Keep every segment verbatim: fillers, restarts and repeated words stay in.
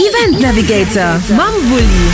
Event Navigator mam Wulli.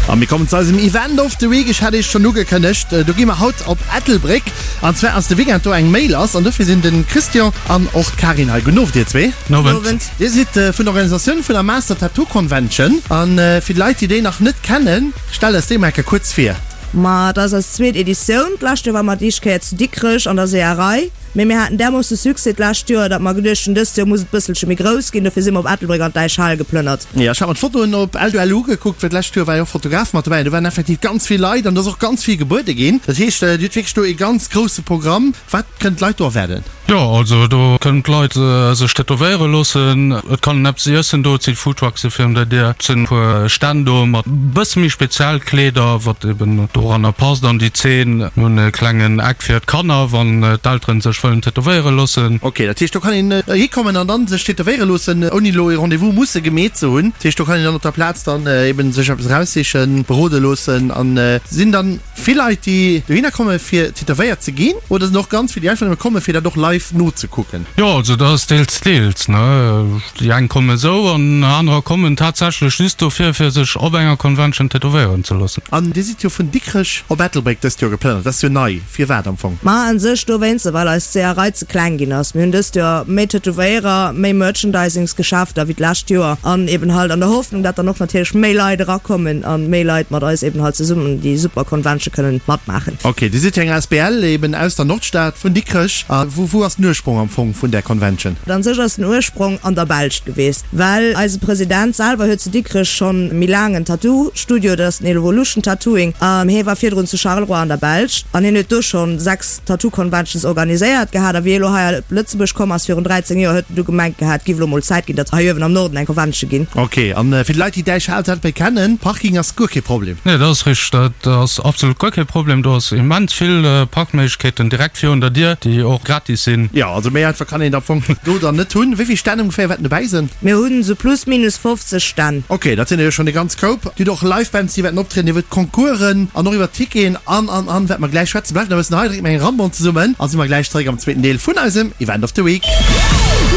A mir kommen zu eisem Event of the Week. Ech hat iech schonn ugekënnegt, do gi mer haut op Ettelbréck. An zwar ass de Weekend do eng Méi lass an dofir sinn de Christian an och d'Karin hei. Gudden Owend dir zwee. Gudden Owend. Dir sidd vun der Organisatioun vun der Master Tattoo Convention. A fir d'Leit, déi déi nach net kennen, stellt eis déi mol eng Kéier kuerz vir. Ma et ass eis zweet Editioun. D'lescht Joer ware mer d'éischt Kéier zu Dikrech an der Seeërei. Mee mir haten därmoosse Succès d'lescht Joer, datt mer geduecht hunn, dëst Joer muss et bësselche méi grouss ginn. Dofir si mer op Ettelbréck an d'Däichhal geplënnert. Jo, ech hat mer d'Fotoen op L-du-L ugekuckt, well d'lescht Joer war jo och Fotograf mat dobäi an do waren effektiv ganz vill Leit an do ass och ganz vill gebuede ginn. Dat heescht, Dir hutt wierklech do ee ganz grousse Programm. Wat kënnen d'Leit do erwaarden? Jo, also do kënnen d'Leit sech tätowéiere loossen. Et kann een eppes iessen do, et si Foodtruckse virun der Dier, et sinn e puer Stänn do mat bësse méi speziell Kleeder, wat eben doranner passt an déi Zeen. Mir hunn e klengen Eck fir d'Kanner, wann d'Elteren sech wëllen tätowéiere loossen. Ok, dat heescht do kann een hikommen an dann sech tätowéiere loossen, ouni elo ee Rendez-vous musse gemeet ze hunn. Dat heescht do kann een dann op der Plaz dann eben sech eppes eraussichen, berode loossen an sinn dann vill Leit déi dohinner komme fir tätowéiert ze ginn oder sinn och ganz vill déi einfach nëmme komme fir dat och live nozekucken? Jo, also dat ass deels deels, ne. Déi eng kommen esou an anerer kommen tatsächlech just dofir fir sech op enger Convention tätowéieren ze loossen. An Dir sidd jo vun Dikrech op Ettelbréck dëst Joer geplënnert, dat ass jo nei. Firwat am Fong? Ma un sech dowéinster, well eis Seeërei ze kleng ginn ass. Mir hunn dëst Joer méi Tätowéierer, méi Merchandisingsgeschäfter wéi d'lescht Joer an eben halt an der Hoffnung, dat dann och natierlech méi Leit erakommen a méi Leit mat eis eben halt zesummen déi super Convention kënnen matmaachen. Ok, Dir sidd jo eng asbl eben aus der Nordstad vun Dikrech. A wou wou ass den Ursprong am Fong vun där Convention? An sech ass den Ursprong an der Belscht geweest, well eise President selwer huet zu Dikrech schonn méi laang en Tattoo Studio, dat ass den Evolution Tattooing, an hie war virdrun zu Charleroi an der Belscht an hien huet do schonn sechs Tattoo Conventions organiséiert gehat. A wéi hie elo hei op Lëtzebuerg komm ass virun dräizéng Joer, huet en du gemengt gehat, et giff elo mol Zäit ginn, datt hei uewen am Norden eng Convention ginn. Ok, an fir déi Leit déi Däichhal Ettelbréck kennen, Parking ass guer kee Problem? Nee, dat ass richteg, dat ass absolut guer kee Problem. Do ass immens vill Parkméiglechkeeten direkt virun der Dier, déi och gratis sinn. Jo, also méi einfach kann een et am Fong do dann net hunn. Wéi vill Stänn ongeféier wäerten dobäi sinn? Mir hunn esou plus minus fofzeg Stänn. Ok, dat sinn der jo schonn e ganz Koup. Dir hutt och Live Bands, déi wäerten optrieden, Dir hutt Concoursen an och iwwer Ticketen an, an, an wäerte mer gläich schwätzen. Bleift nach e bëssen hei, dréckt mer eng Rambon zesummen a si mer gläich zeréck am zweeten Deel vun eisem Event of the Week.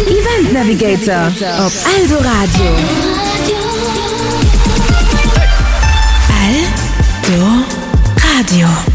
Event Navigator op Eldoradio. Eldoradio.